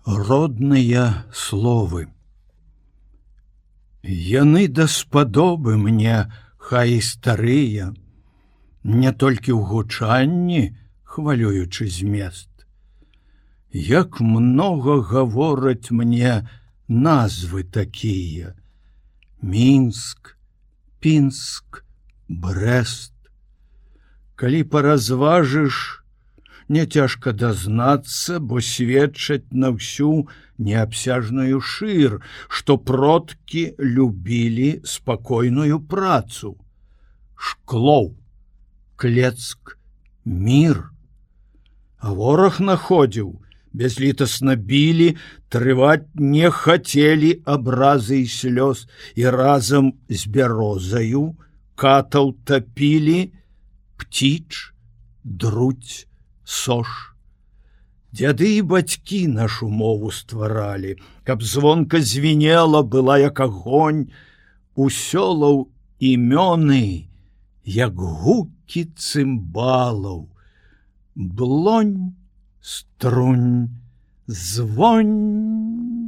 Родныя словы. Яны даспадобы мне, хай і старыя, не толькі ў гучанні, хвалюючы змест. Як многа гавораць мне назвы такія: Мінск, Пінск, Брэст. Калі паразважыш, не цяжка дазнацца, бо сведчаць на ўсю неабсяжную шыр, што продкі любілі спакойную працу. Шклоў, Клецк, Мір. А вораг находзіў, бязлітасна білі, трываць не хацелі абразы і слёз, і разам з бярозаю катаў тапілі Птіч, Друдь, Сош. Дзяды і бацькі нашу мову стваралі, каб звонка звінела была як агонь, у сёлаў імёны, як гукі цымбалаў. Блонь, струнь, звонь.